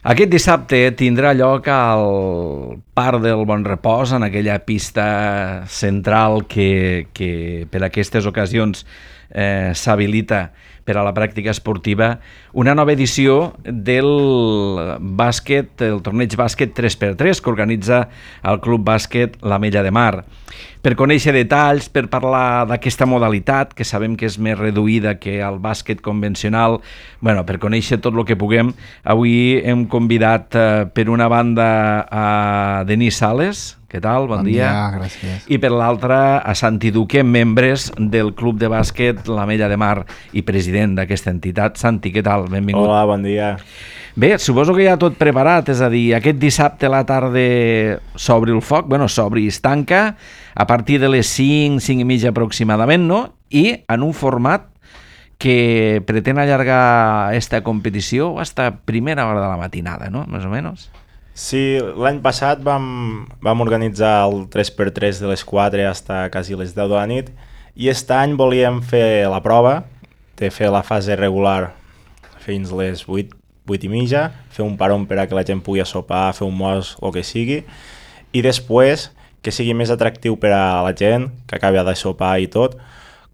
Aquest dissabte tindrà lloc al Parc del Bon Repòs, en aquella pista central que per aquestes ocasions s'habilita per a la pràctica esportiva, una nova edició del bàsquet, el torneig bàsquet 3x3 que organitza el Club Bàsquet l'Ametlla de Mar. Per conèixer detalls, per parlar d'aquesta modalitat, que sabem que és més reduïda que el bàsquet convencional, per conèixer tot el que puguem, avui hem convidat per una banda a Denis Sales. Què tal? Bon dia. Gràcies. I per l'altra a Santi Duque, membres del Club de Bàsquet l'Ametlla de Mar i president d'aquesta entitat. Santi, què tal? Benvingut. Hola, bon dia. Bé, suposo que ja tot preparat, és a dir, aquest dissabte a la tarda s'obre el foc, s'obre i es tanca a partir de les 5, 5 i mitja aproximadament, no? I en un format que pretén allargar aquesta competició fins a primera hora de la matinada, no? Més o menys. Sí, l'any passat vam organitzar el 3x3 de les 4 fins a quasi les 10 de la nit i aquest any volíem fer la prova de fer la fase regular fins les 8 i mitja, fer un paron per a que la gent pugui sopar, fer un mos, el que sigui, i després que sigui més atractiu per a la gent, que acabi de sopar i tot,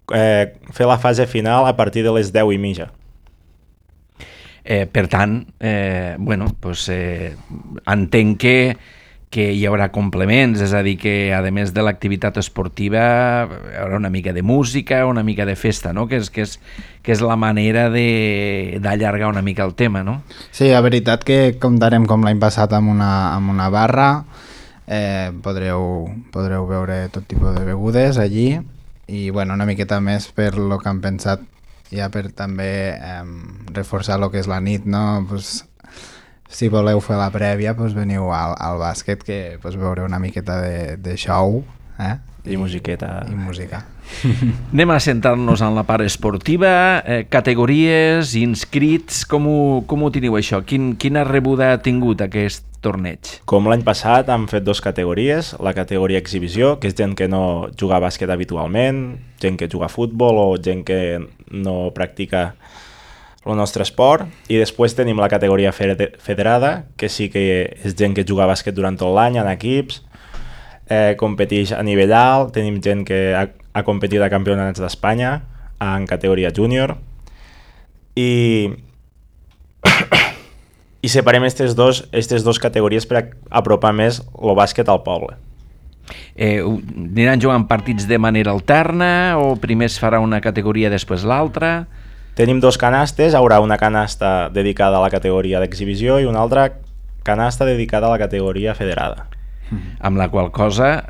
fer la fase final a partir de les 10 i mitja. Per tant, entenc que hi haurà complements, és a dir, que a més de l'activitat esportiva hi haurà una mica de música, una mica de festa, no? Que és la manera d'allargar una mica el tema, no? Sí, la veritat que comptarem com l'any passat amb una barra, podreu veure tot tipus de begudes allí i una miqueta més per lo que han pensat ja per també reforçar el que és la nit, no? Si voleu fer la prèvia, veniu al bàsquet, que veureu una miqueta de show i musiqueta. I música. Anem a centrar-nos en la part esportiva, categories, inscrits, com ho teniu això? Quina rebuda ha tingut aquest torneig? Com l'any passat hem fet 2 categories, la categoria exhibició, que és gent que no juga a bàsquet habitualment, gent que juga a futbol o gent que no practica el nostre esport, i després tenim la categoria federada, que sí que és gent que juga a bàsquet durant tot l'any en equips, competeix a nivell alt, tenim gent que ha competit a campionats d'Espanya en categoria júnior i separem aquestes dos categories per apropar més el bàsquet al poble. Aniran jugant partits de manera alterna o primer es farà una categoria després l'altra? Tenim 2 canastes, hi haurà una canasta dedicada a la categoria d'exhibició i una altra canasta dedicada a la categoria federada. Amb la qual cosa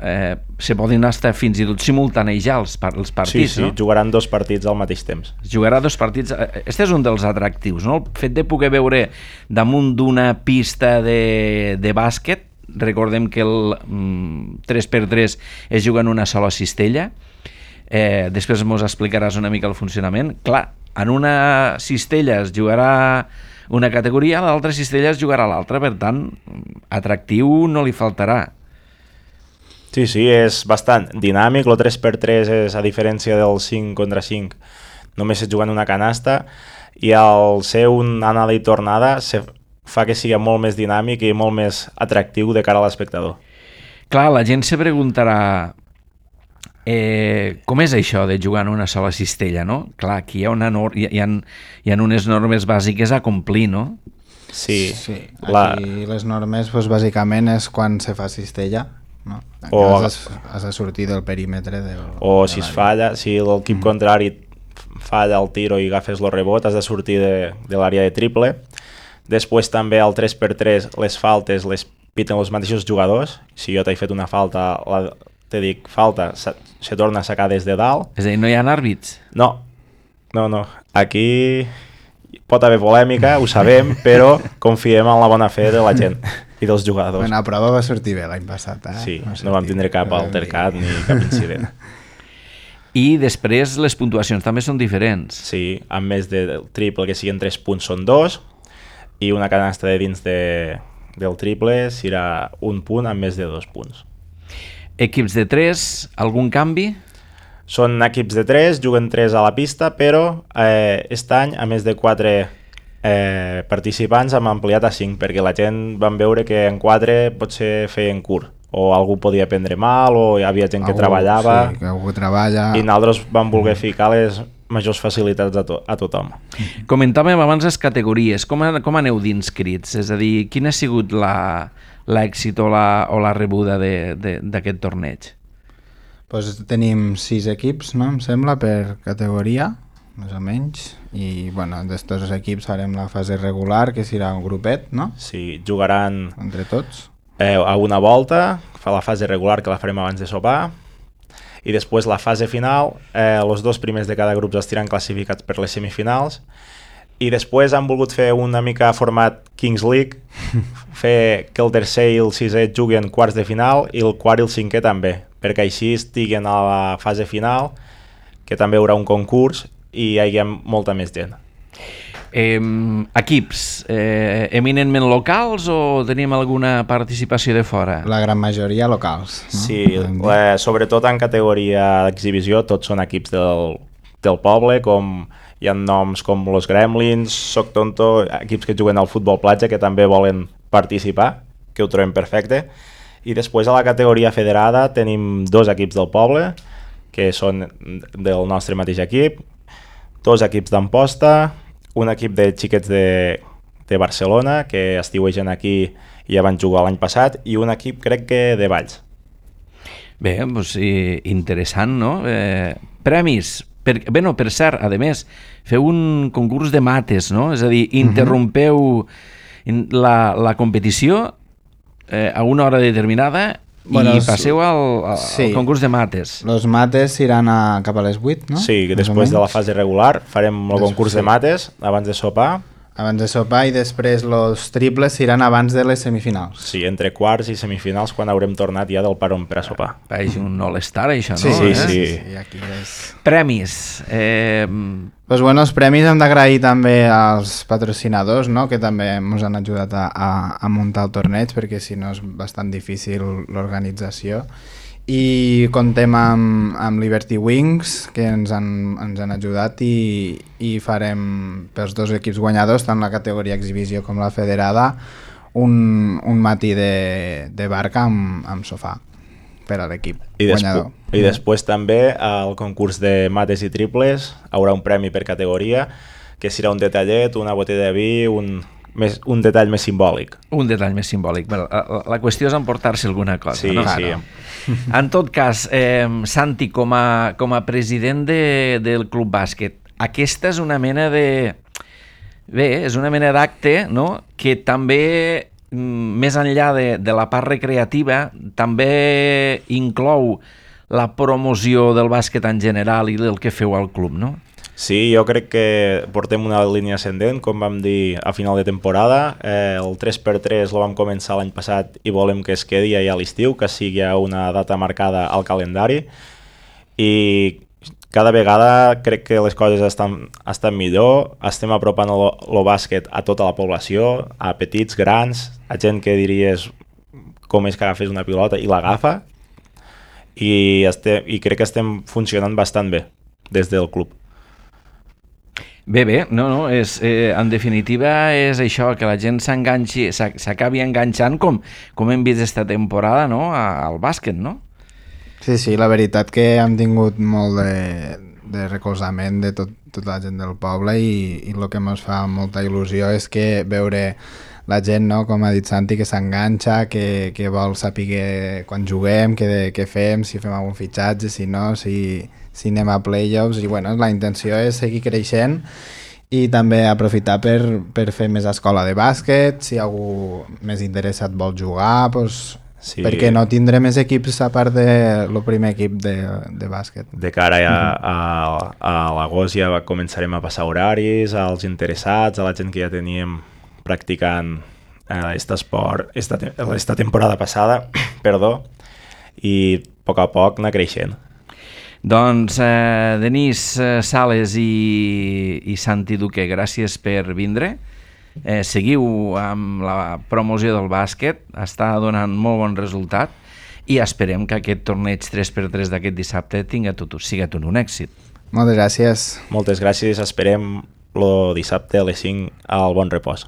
se poden estar fins i tot simultanejar els partits, sí, no? Jugaran 2 partits al mateix temps. Jugarà 2 partits. Este és un dels atractius, no? El fet de poder veure damunt d'una pista de bàsquet, recordem que el 3x3 es juga en una sola cistella, després ens explicaràs una mica el funcionament. Clar, en una cistella es jugarà una categoria, a l'altra cistella es jugarà l'altra, per tant, atractiu no li faltarà. Sí, és bastant dinàmic, el 3x3 és, a diferència del 5 contra 5, només es juga en una canasta, i al ser una anada i tornada fa que sigui molt més dinàmic i molt més atractiu de cara a l'espectador. Clar, la gent se preguntarà com és això de jugar en una sola cistella, no? Clar, aquí hi ha unes normes bàsiques a complir, no? Sí. Aquí les normes, bàsicament, és quan se fa cistella, no? Has de sortir del perímetre o si es falla, si l'equip contrari falla el tiro i agafes el rebot, has de sortir de l'àrea de triple. Després també al 3x3 les faltes les piten els mateixos jugadors. Si jo t'he fet una falta, te dic falta, se torna a sacar des de dalt. És a dir, no hi ha àrbits? No. Aquí pot haver polèmica, ho sabem, però confiem en la bona fe de la gent i dels jugadors. La prova va sortir bé l'any passat. Sí, no vam tindre cap altercat ni cap incident. I després les puntuacions també són diferents. Sí, amb més del triple, que siguin 3 punts són 2, i una canasta de dins del triple serà 1 punt amb més de 2 punts. Equips de 3, algun canvi? Són equips de 3, juguen 3 a la pista, però aquest any, a més de 4 participants hem ampliat a 5 perquè la gent van veure que en 4 potser feien curt o algú podia prendre mal o hi havia gent que treballava, sí, que algú treballa, i nosaltres vam voler ficar les majors facilitats a tothom. Comentàvem abans les categories, com aneu d'inscrits? És a dir, quina ha sigut l'èxit o la rebuda d'aquest torneig? Pues tenim 6 equips, no? Em sembla, per categoria, més o menys, i bueno, d'estos equips farem la fase regular, que serà un grupet, no? Sí, jugaran entre tots. A una volta, fa la fase regular que la farem abans de sopar, i després la fase final, els 2 primers de cada grup estiran classificats per les semifinals, i després han volgut fer una mica format Kings League, fer que el tercer i el sisè juguin quarts de final i el quart i el cinquè també, perquè així estiguen a la fase final, que també hi haurà un concurs i hi hagi molta més gent. Equips eminentment locals o tenim alguna participació de fora? La gran majoria locals, no? Sí, sobretot en categoria d'exhibició tots són equips del poble, com hi ha noms com los Gremlins, Soc Tonto, equips que juguen al futbol platja que també volen participar, que ho trobem perfecte. I després a la categoria federada tenim 2 equips del poble que són del nostre mateix equip, 2 equips d'Amposta, un equip de xiquets de Barcelona que estiuegen aquí i ja van jugar l'any passat, i un equip crec que de Valls. Bé, doncs, interessant, no? Premis. Per cert, a més, feu un concurs de mates, no? És a dir, interrompeu la competició a una hora determinada i passeu al concurs de mates. Els mates iran cap a les 8, no? Sí, després de la fase regular farem el concurs de mates abans de sopar. Abans de sopar, i després els triples iran abans de les semifinals. Sí, entre quarts i semifinals, quan haurem tornat ja del parón per a sopar. És un all-star, això, no? Sí. Aquí és... Premis. Pues bueno, els premis hem d'agrair també als patrocinadors, no? Que també ens han ajudat a muntar el torneig, perquè si no és bastant difícil l'organització. I contem amb Liberty Wings, que ens han ajudat, i farem pels 2 equips guanyadors, tant la categoria exhibició com la federada, un matí de barca amb sofà per a l'equip guanyador. I després també al concurs de mates i triples haurà un premi per categoria, que serà un detallet, una botella de vi, un detall més simbòlic. Un detall més simbòlic. La qüestió és emportar-se alguna cosa. Sí, no? sí. En tot cas, Santi, com a president del Club Bàsquet, aquesta és una mena de... Bé, és una mena d'acte, no?, que també, més enllà de la part recreativa, també inclou la promoció del bàsquet en general i del que feu al club, no? Sí, jo crec que portem una línia ascendent, com vam dir a final de temporada. El 3x3 el vam començar l'any passat i volem que es quedi ja a l'estiu, que sigui una data marcada al calendari. I cada vegada crec que les coses estan millor, estem apropant el bàsquet a tota la població, a petits, grans, a gent que diries com és que agafes una pilota i l'agafa, i crec que estem funcionant bastant bé des del club. Bé, en definitiva és això, que la gent s'enganxi, s'acabi enganxant com hem vist esta temporada, no?, al bàsquet, no? Sí, la veritat que hem tingut molt de recolzament de tota la gent del poble, i el que ens fa molta il·lusió és que veure la gent, no?, com ha dit Santi, que s'enganxa, que vol saber quan juguem, què fem, si fem algun fitxatge, si no, si anem a playoffs. I bueno, la intenció és seguir creixent i també aprofitar per fer més escola de bàsquet. Si algú més interessat vol jugar, doncs, sí, per què no tindré més equips a part del primer equip de bàsquet. De cara a l'agost ja començarem a passar horaris als interessats, a la gent que ja teníem practicant aquest esport esta temporada passada, i a poc anar creixent. Doncs Denis Sales i Santi Duque, gràcies per vindre. Seguiu amb la promoció del bàsquet, està donant molt bon resultat, i esperem que aquest torneig 3x3 d'aquest dissabte siga tot un èxit. Moltes gràcies. Moltes gràcies, esperem el dissabte a les 5 al Bon Repòs.